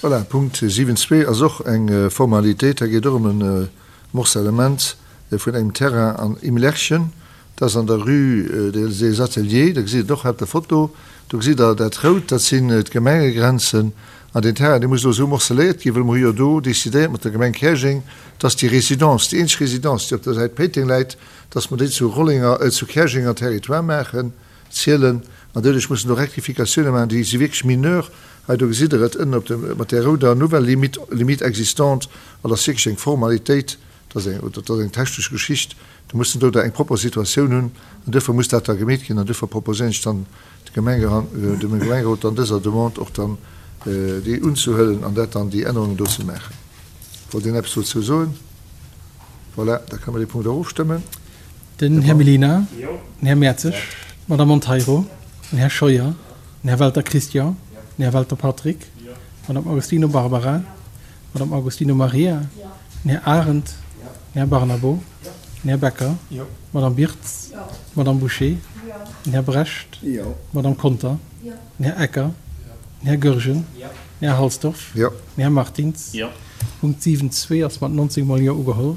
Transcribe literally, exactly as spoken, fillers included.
Voilà, Punkt siwen zwee ass och eng Formalitéit. Hei geet och ëm e Morcellement vun engem Terrain an Imlerchen. Dat ass an der Rue des Ateliers. Da gesitt Der et och hei op der Foto. Do gesitt Der dat Rout, dat sinn d'Gemengegrenzen. An deen Terrain, dee muss elo esou morceléiert ginn, well mer hu jo do decidéiert mat der Gemeng Käerjeng, dass déi Résidence, déi eenzeg Résidence, déi op der Säit Péiteng läit, dass mer déi zu Rollenger, zu Käerjenger Territoire maachen, zielen. An doduerch mussen do Rectificatiounen maachen, déi si wierklech mineur. Hei, do gesitt Der et ënnen op dem, mat där rouder nouvelle limite, limite existante. An dat ass wierklech eng Formalitéit, dat ass eng, dat ass eng technesch Geschicht. Do mussen do da eng propper Situatioun hunn an duerfir muss dat da gemeet ginn. An duerfir proposéieren ech dann de Gemengeran, dem Gemengerot dann dëser Demande och dann déi unzehuelen an dat dann déi Ännerungen do ze maachen. Wollt een eppes dozou soen? Voilà, da kënne mer dee Punkt och ofstëmmen. Den Här Mellina, den Här Mertzig, d'Madame Monteiro, den Här Scheuer, den Här Welter Christian, den Här Welter Patrick, d'Madame Agostino Barbara, d'Madame Agostino Maria, den Här Arendt, den Här Barnabo, den Här Becker, d'Madame Birtz, d'Madame Bouché, den Här Brecht, d'Madame Conter, den Här Ecker, den Här Goergen, den Här Halsdorf, den Här Martins. Punkt siwen zwee ass mat neunzeg mol Jo ugeholl.